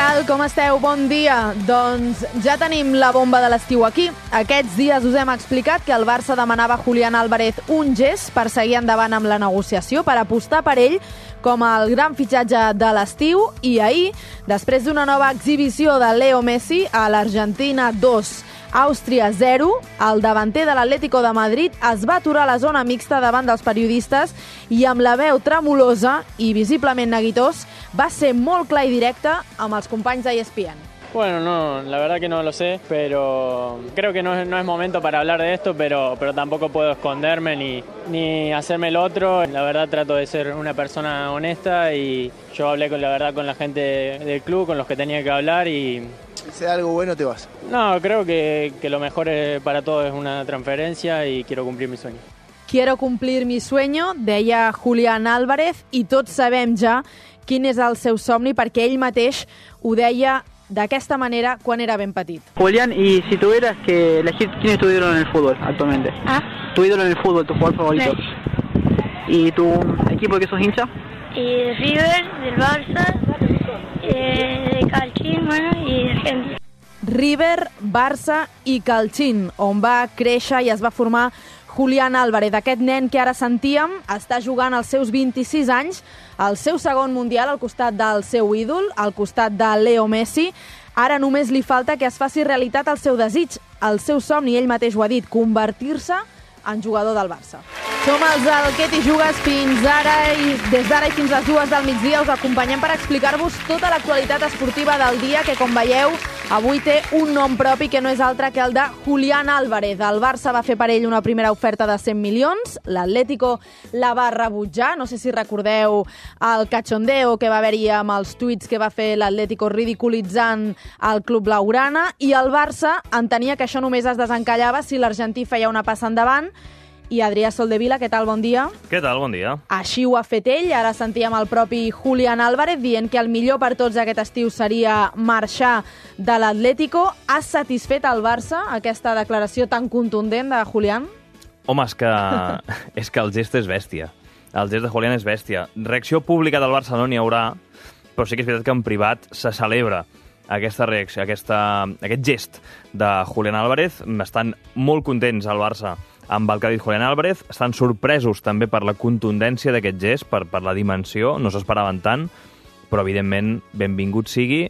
tal? Com esteu? Bon dia. Doncs ja tenim la bomba de l'estiu aquí. Aquests dies us hem explicat que el Barça demanava a Julián Álvarez un gest per seguir endavant amb la negociació, per apostar per ell com el gran fitxatge de l'estiu. I ahir, després d'una nova exhibició de Leo Messi a l'Argentina 2, Àustria 0, el davanter de l'Atlético de Madrid es va aturar a la zona mixta davant dels periodistes i amb la veu tremolosa i visiblement neguitós va ser molt clar i directe amb els companys de ESPN. Bueno, no, la verdad que no lo sé, pero creo que no es momento para hablar de esto, pero tampoco puedo esconderme ni hacerme el otro. La verdad trato de ser una persona honesta y yo hablé con la gente del club, con los que tenía que hablar y... Si sea algo bueno te vas. No, creo que lo mejor para todos es una transferencia y quiero cumplir mi sueño. Quiero cumplir mi sueño, deia Julián Álvarez, i tots sabem ja quin és el seu somni perquè ell mateix ho deia d'aquesta manera quan era ben petit. Julián, y si tuvieras que elegir quién es tu ídolo en el fútbol actualmente. Tu ídolo en el fútbol, tu jugador favorito. ¿Y tu equipo de que sos hincha? River, del Barça, de Calchín, bueno, y de Argentina. River, Barça i Calchín, on va créixer i es va formar Julián Álvarez. Aquest nen que ara sentíem està jugant als seus 26 anys, el seu segon mundial al costat del seu ídol, al costat de Leo Messi. Ara només li falta que es faci realitat el seu desig, el seu somni, ell mateix ho ha dit, convertir-se en jugador del Barça. Som els del Què t'hi jugues fins ara i des d'ara i fins les 2 del migdia us acompanyem per explicar-vos tota l'actualitat esportiva del dia que, com veieu, avui té un nom propi que no és altre que el de Julián Álvarez. El Barça va fer per ell una primera oferta de 100 milions, l'Atlético la va rebutjar, no sé si recordeu el cachondeo que va haver-hi amb els tuits que va fer l'Atlético ridiculitzant el club blaugrana, i el Barça entenia que això només es desencallava si l'argentí feia una passa endavant. I Adrià Soldevila, què tal? Bon dia. Què tal? Bon dia. Així ho ha fet ell. Ara sentíem el propi Julián Álvarez dient que el millor per tots aquest estiu seria marxar de l'Atlético. Ha satisfet el Barça aquesta declaració tan contundent de Julián? Home, és que el gest és bèstia. El gest de Julián és bèstia. Reacció pública del Barça no n'hi haurà, però sí que és veritat que en privat se celebra aquesta reacció, aquest gest de Julián Álvarez. Estan molt contents al Barça amb el que ha dit Julián Álvarez, estan sorpresos també per la contundència d'aquest gest, per la dimensió, no s'esperaven tant, però evidentment benvingut sigui,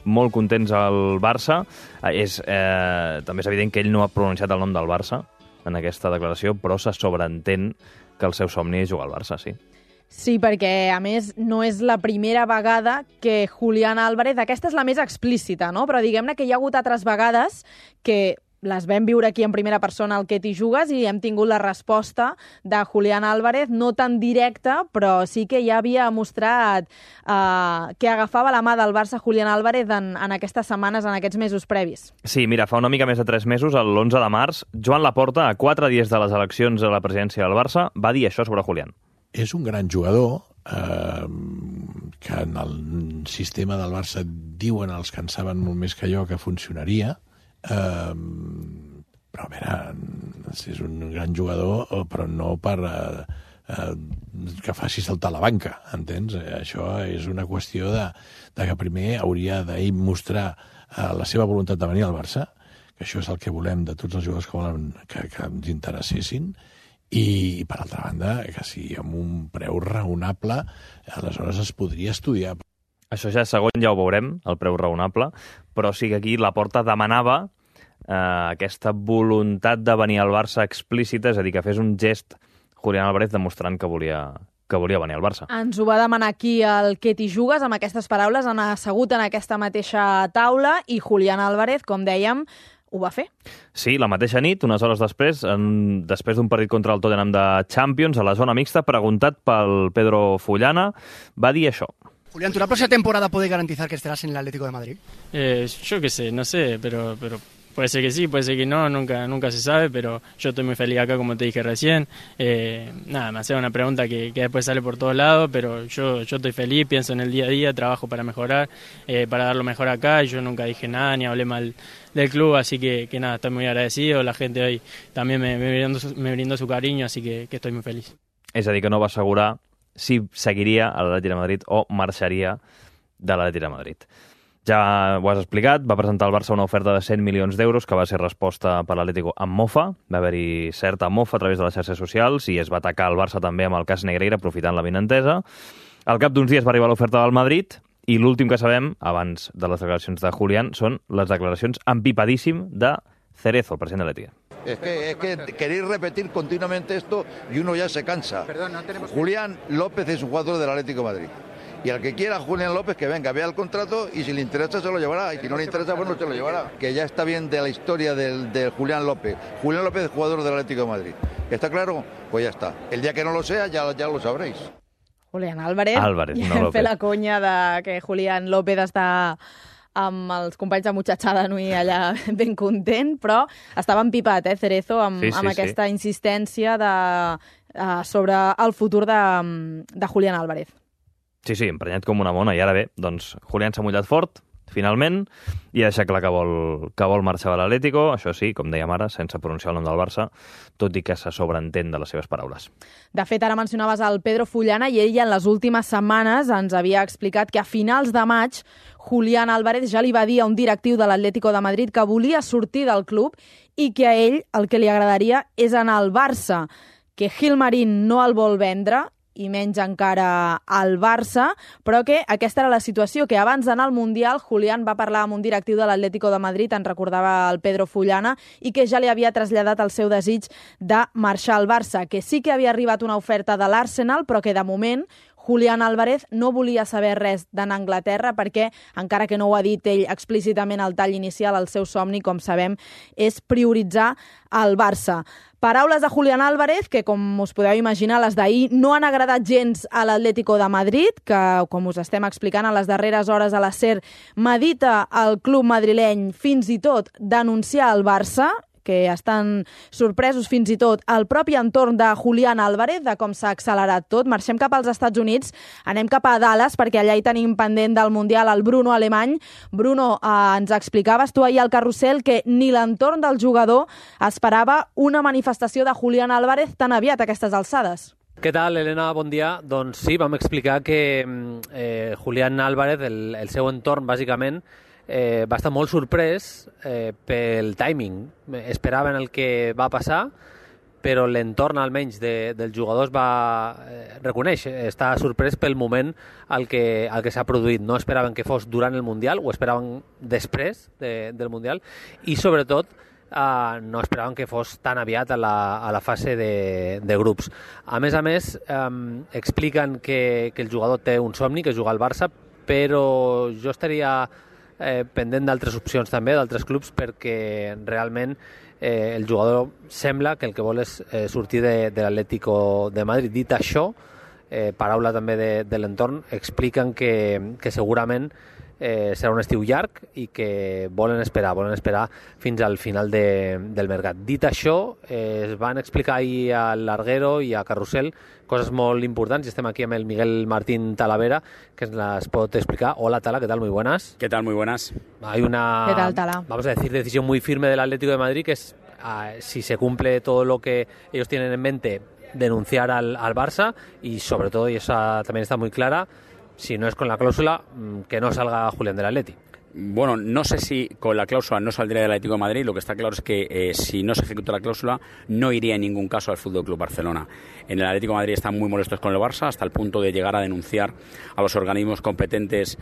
molt contents al Barça. També és evident que ell no ha pronunciat el nom del Barça en aquesta declaració, però se sobreentén que el seu somni és jugar al Barça, sí. Sí, perquè, a més, no és la primera vegada que Julián Álvarez... Aquesta és la més explícita, no? Però diguem-ne que hi ha hagut altres vegades que les vam viure aquí en primera persona al Què t'hi jugues i hem tingut la resposta de Julián Álvarez, no tan directa, però sí que ja havia mostrat que agafava la mà del Barça Julián Álvarez en aquestes setmanes, en aquests mesos previs. Sí, mira, fa una mica més de 3 mesos, l'11 de març, Joan Laporta, a 4 dies de les eleccions a la presidència del Barça, va dir això sobre Julián. És un gran jugador que en el sistema del Barça diuen els que en saben molt més que jo que funcionaria, però a veure, és un gran jugador, però no per que faci saltar la banca, entens? Això és una qüestió de que primer hauria d'ell mostrar la seva voluntat de venir al Barça, que això és el que volem de tots els jugadors que volen que ens interessessin, i per altra banda, que si amb un preu raonable, aleshores es podria estudiar. Això ja segon ja ho veurem, el preu raonable, però sí que aquí Laporta demanava aquesta voluntat de venir al Barça explícita, és a dir, que fes un gest Julián Álvarez demostrant que volia venir al Barça. Ens ho va demanar aquí el Què t'hi jugues, amb aquestes paraules, han assegut en aquesta mateixa taula i Julián Álvarez, com dèiem, ho va fer. Sí, la mateixa nit, unes hores després, després d'un partit contra el Tottenham de Champions, a la zona mixta, preguntat pel Pedro Fullana, va dir això. Julián, ¿tú la próxima temporada puedes garantizar que estarás en el Atlético de Madrid? Yo qué sé, no sé, pero puede ser que sí, puede ser que no, nunca se sabe, pero yo estoy muy feliz acá, como te dije recién. Nada, me hacía una pregunta que después sale por todos lados, pero yo estoy feliz, pienso en el día a día, trabajo para mejorar, para dar lo mejor acá, y yo nunca dije nada, ni hablé mal del club, así que nada, estoy muy agradecido, la gente hoy también me brindó su cariño, así que estoy muy feliz. És a dir, que no va assegurar si seguiria a l'Atlètic de Madrid o marxaria de l'Atlètic de Madrid. Ja ho has explicat, va presentar al Barça una oferta de 100 milions d'euros que va ser resposta per l'Atlético amb mofa. Va haver-hi certa mofa a través de les xarxes socials i es va atacar el Barça també amb el cas Negreira, aprofitant la benentesa. Al cap d'uns dies va arribar l'oferta del Madrid i l'últim que sabem, abans de les declaracions de Julián, són les declaracions empipadíssim de Cerezo, el president de l'Etihad. Es que queréis repetir continuamente esto y uno ya se cansa. Perdón, no tenemos... Julián López es un jugador del Atlético de Madrid. Y al que quiera Julián López, que venga, vea el contrato y si le interesa se lo llevará. Y si no le interesa, pues no se lo llevará. Que ya está bien de la historia de Julián López. Julián López es jugador del Atlético de Madrid. ¿Está claro? Pues ya está. El día que no lo sea, ya lo sabréis. Julián Álvarez. Álvarez, no López. Fer la conya de que Julián López està amb els companys de Muchachada Nui allà ben content, però estava empipat, Cerezo, amb aquesta insistència sobre el futur de Julián Álvarez. Sí, emprenyat com una mona. I ara bé, doncs, Julián s'ha mullat fort, finalment, i ha deixat clar que vol marxar de l'Atlético, això sí, com dèiem ara, sense pronunciar el nom del Barça, tot i que se sobreentén de les seves paraules. De fet, ara mencionaves el Pedro Fullana i ell en les últimes setmanes ens havia explicat que a finals de maig Julián Álvarez ja li va dir a un directiu de l'Atlético de Madrid que volia sortir del club i que a ell el que li agradaria és anar al Barça, que Gilmarín no el vol vendre i menys encara al Barça, però que aquesta era la situació, que abans d'anar al Mundial Julián va parlar amb un directiu de l'Atlético de Madrid, en recordava el Pedro Fullana, i que ja li havia traslladat el seu desig de marxar al Barça, que sí que havia arribat una oferta de l'Arsenal, però que de moment Julián Álvarez no volia saber res d'anar a Anglaterra perquè, encara que no ho ha dit ell explícitament al tall inicial, el seu somni, com sabem, és prioritzar el Barça. Paraules de Julián Álvarez, que, com us podeu imaginar, les d'ahir no han agradat gens a l'Atlético de Madrid, que, com us estem explicant a les darreres hores a la SER, medita el club madrileny fins i tot denunciar el Barça, que estan sorpresos fins i tot el propi entorn de Julián Álvarez, de com s'ha accelerat tot. Marxem cap als Estats Units, anem cap a Dallas, perquè allà hi tenim pendent del Mundial el Bruno Alemany. Bruno, ens explicaves tu ahir al carrusel que ni l'entorn del jugador esperava una manifestació de Julián Álvarez tan aviat a aquestes alçades. Què tal, Helena? Bon dia. Doncs sí, vam explicar que Julián Álvarez, el seu entorn, bàsicament, va estar molt sorprès pel timing. Esperaven el que va passar, però l'entorn almenys del jugador es va reconèixer. Està sorprès pel moment al que s'ha produït. No esperaven que fos durant el Mundial, ho esperaven després del Mundial, i sobretot no esperaven que fos tan aviat a la fase de grups. A més, expliquen que el jugador té un somni, que és jugar al Barça, però jo estaria pendent d'altres opcions també, d'altres clubs, perquè realment el jugador sembla que el que vol és sortir de l'Atlético de Madrid. Dit això, paraula també de l'entorn, expliquen que segurament serà un estiu llarg i que volen esperar fins al final del mercat. Dit això, es van explicar ahir a Larguero i a Carrusel coses molt importants, y estem aquí amb el Miguel Martín Talavera, que ens las pot explicar. Hola, Tala, ¿qué tal? Muy buenas. ¿Qué tal? Muy buenas. Hay una, ¿Qué tal, Tala? Vamos a decir, decisión muy firme del Atlético de Madrid, que es, si se cumple todo lo que ellos tienen en mente, denunciar al Barça, y sobre todo, y esa también está muy clara, si no es con la cláusula, que no salga Julián del Atleti. Bueno, no sé si con la cláusula no saldría del Atlético de Madrid. Lo que está claro es que si no se ejecuta la cláusula, no iría en ningún caso al FC Barcelona. En el Atlético de Madrid están muy molestos con el Barça, hasta el punto de llegar a denunciar a los organismos competentes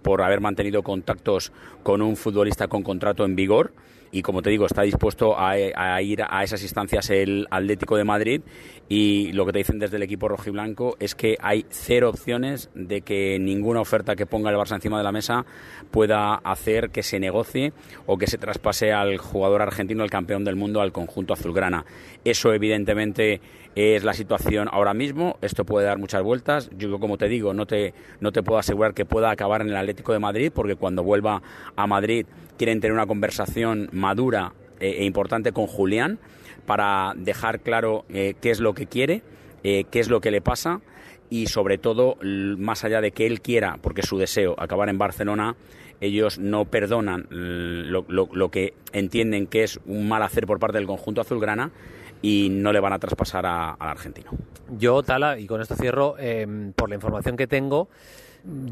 por haber mantenido contactos con un futbolista con contrato en vigor. Y como te digo, está dispuesto a ir a esas instancias el Atlético de Madrid, y lo que te dicen desde el equipo rojiblanco es que hay cero opciones de que ninguna oferta que ponga el Barça encima de la mesa pueda hacer que se negocie o que se traspase al jugador argentino, el campeón del mundo, al conjunto azulgrana. Eso evidentemente es la situación ahora mismo. Esto puede dar muchas vueltas. Yo, como te digo, no te puedo asegurar que pueda acabar en el Atlético de Madrid, porque cuando vuelva a Madrid quieren tener una conversación madura e importante con Julián para dejar claro qué es lo que quiere, qué es lo que le pasa, y sobre todo, más allá de que él quiera, porque es su deseo, acabar en Barcelona, ellos no perdonan lo que entienden que es un mal hacer por parte del conjunto azulgrana, y no le van a traspasar al argentino. Yo, Tala, y con esto cierro, por la información que tengo,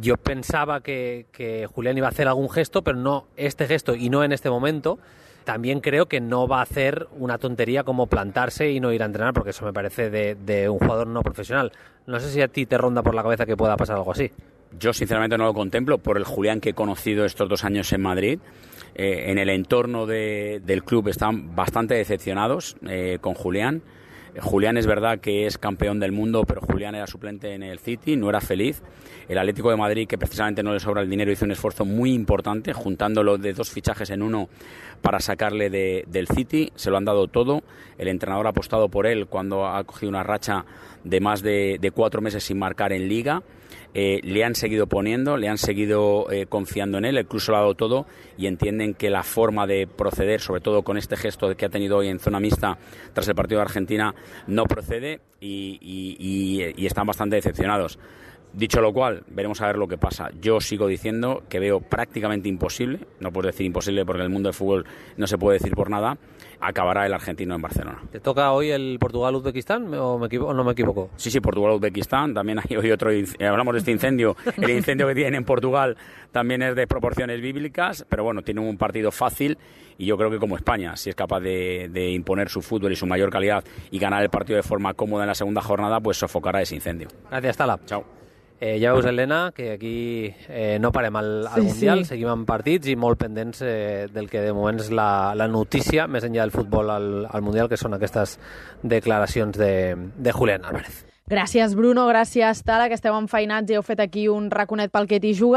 yo pensaba que Julián iba a hacer algún gesto, pero no este gesto y no en este momento. También creo que no va a hacer una tontería como plantarse y no ir a entrenar, porque eso me parece de un jugador no profesional. No sé si a ti te ronda por la cabeza que pueda pasar algo así. Yo sinceramente no lo contemplo por el Julián que he conocido estos 2 años en Madrid. En el entorno del club están bastante decepcionados con Julián. Julián es verdad que es campeón del mundo, pero Julián era suplente en el City, no era feliz. El Atlético de Madrid, que precisamente no le sobra el dinero, hizo un esfuerzo muy importante, juntándolo de 2 fichajes en uno para sacarle del City. Se lo han dado todo. El entrenador ha apostado por él cuando ha cogido una racha de más de 4 meses sin marcar en Liga. Le han seguido poniendo, le han seguido confiando en él, el club se lo ha dado todo y entienden que la forma de proceder, sobre todo con este gesto que ha tenido hoy en zona mixta tras el partido de Argentina, no procede y están bastante decepcionados. Dicho lo cual, veremos a ver lo que pasa. Yo sigo diciendo que veo prácticamente imposible, no puedo decir imposible porque en el mundo del fútbol no se puede decir por nada, acabará el argentino en Barcelona. ¿Te toca hoy el Portugal-Uzbekistán o no me equivoco? Sí, Portugal-Uzbekistán, también hay hoy otro, hablamos de este incendio, el incendio que tienen en Portugal también es de proporciones bíblicas, pero bueno, tienen un partido fácil y yo creo que como España, si es capaz de imponer su fútbol y su mayor calidad y ganar el partido de forma cómoda en la segunda jornada, pues sofocará ese incendio. Gracias, Tala. Chao. Ja veus, Helena, que aquí no parem al Mundial, seguim amb partits i molt pendents del que de moment és la notícia, més enllà del futbol al Mundial, que són aquestes declaracions de Julián Álvarez. Gràcies, Bruno, gràcies, Tala, que esteu enfeinats i heu fet aquí un raconet pel que t'hi juga.